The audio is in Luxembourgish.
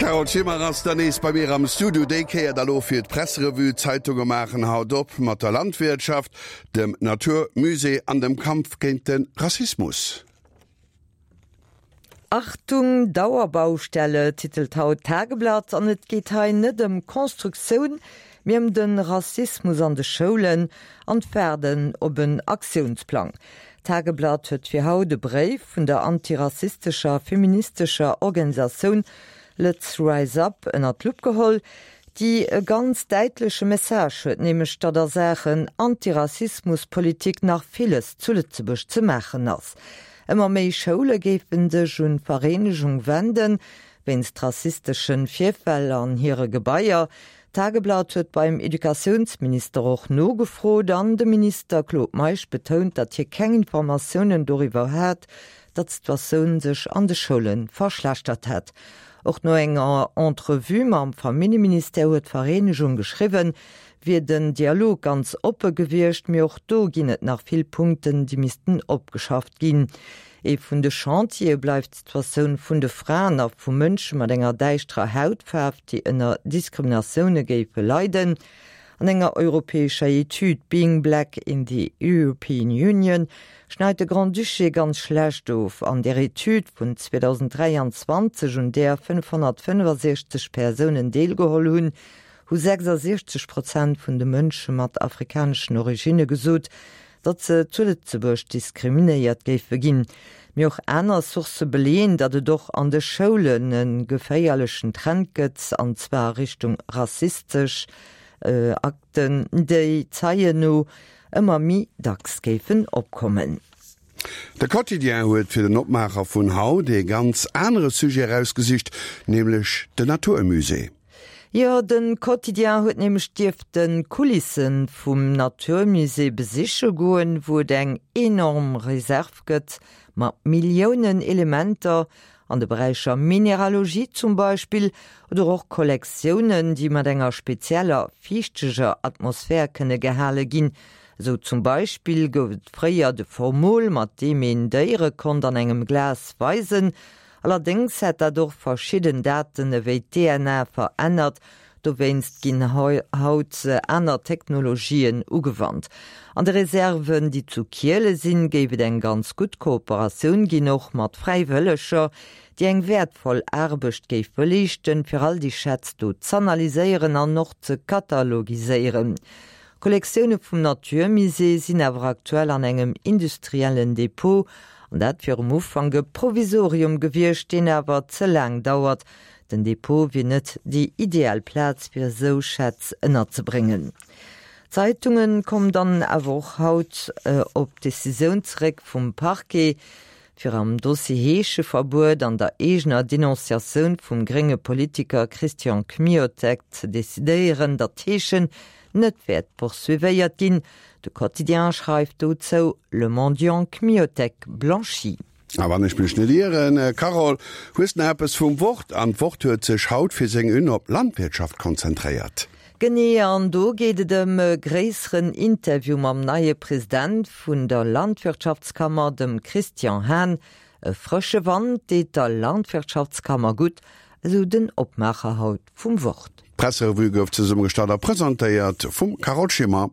D'Carole Schimmer ass dann nees bei mir am Studio, déi Kéier da lo fir d'Presserevue. D'Zeitunge maachen haut op mat der Landwirtschaft, dem Natur Musée an dem Kampf géint de Rassismus. Achtung Dauerbaustelle titelt haut d'Tageblatt an et geet hei net ëm Constructioun, mee ëm de Rassismus an de Schoulen an d'Waarden op en Aktiounsplang. D'Tageblatt huet fir haut e Bréif vun der antirassistescher feministescher Organisatioun Let's Rise Up ënnert d'Lupp geholl, déi e ganz däitleche Message huet, nämlech datt a Saachen Antirassismuspolitik nach villes zu Lëtzebuerg ze maachen ass. Ëmmer méi Schoule géife sech un d'Vereenegung wenden, wéinst rassistesche Virfäll an hire Gebaier. D'Tageblatt huet beim Educatiounsminister och nogefrot an de Minister Claude Meisch betount, datt hie keng Informatiounen doriwwer hat, datt d'Situatioun sech an de Schoule verschlechtert hätt. Och no enger Entrevue mam Familljeministère huet d'Vereenegung geschriwwen, wier den Dialog ganz oppe gewiescht, mee och do ginn et nach vill Punkten, déi missten opgeschafft ginn. Ee vun de Chantiere bleift d'Situatioun vun de Fraen a vu Mënsche mat enger däischterer Hautfaarf, déi ënner Diskriminatioune géife leiden. An enger europäescher Etüd Being Black in the European Union schneit de Grand-Duché ganz schlecht of. An där Etüd vun 2023, un där 565 Persounen deelgeholl hunn, hu 66 Prozent vun de Mënsche mat afrikaneschen Originne gesot, datt se zu Lëtzebuerg diskriminéiert géife ginn. Mee och aner Sourcë beleeën, datt et och an de Schoulen e geféierlechen Trend gëtt, an zwar a Richtung rassistesch Akten, déi Zeien no ëmmer méi dacks géifen opkommen. De Quotidien huet fir den Opmaacher vun haut ee ganz anere Sujet erausgesicht, nämlech den Natur Musée. Jo, de Quotidien huet nämlech dierften d'Kulissen vum Natur Musée besiche goen, wou et eng enorm Reserve gëtt mat Milliounen Elementer an de Beräicher Mineralogie zum Beispill oder och Kollektiounen, déi mat enger spezieller fiichteger Atmosphär kënne gehale ginn. Esou zum Beispill gouf et fréier de Formol, mat deem een Déiere konnt an engem Glas weisen, Allerdéngs hätt dat och verschidden Daten ewéi d'DNA verännert. Dowéinst ginn haut aner Technologien ugewannt. An de Reserven, déi zu Kiele sinn, géif et eng ganz gutt Kooperatioun ginn, och mat Fräiwëlleger, déi eng wäertvoll Aarbecht géife leeschten, fir all déi Schätz do z'analyséieren an och ze katalogiséieren. D'Kollektioune vum Naturmusée sinn awer aktuell an engem industriellen Depot, an dat wier um Ufank e Provisorium gewiescht, deen awer ze laang dauert. Den Depot wier net déi ideal Plaz fir esou Schätz ënnerzebréngen. D'Zeitunge kommen dann awer och haut op d'Decisioun zeréck vum Parquet, fir am Dossier Heescheverbuet an der eegener Denonciatioun vum grénge Politiker Christian Kmiotek ze decidéieren, datt d'Heeschen net wäert poursuivéiert ginn. De Quotidien schreift dozou, Le mendiant Kmiotek blanchi. A wann ech mech net ieren, Carole, hues nach eppes vum Wort, an d'Wort huet sech haut fir seng Une op d'Landwirtschaft konzentréiert. Genee, an do geet et ëm e gréisseren Interview mam neie President vun der Landwirtschaftskammer, dem Christian Hahn. E frësche Wand deet der Landwirtschaftskammer gutt, esou den Opmaacher haut vum Wort. D'Presserevue gouf zesummegestallt a presentéiert vum Carole Schimmer.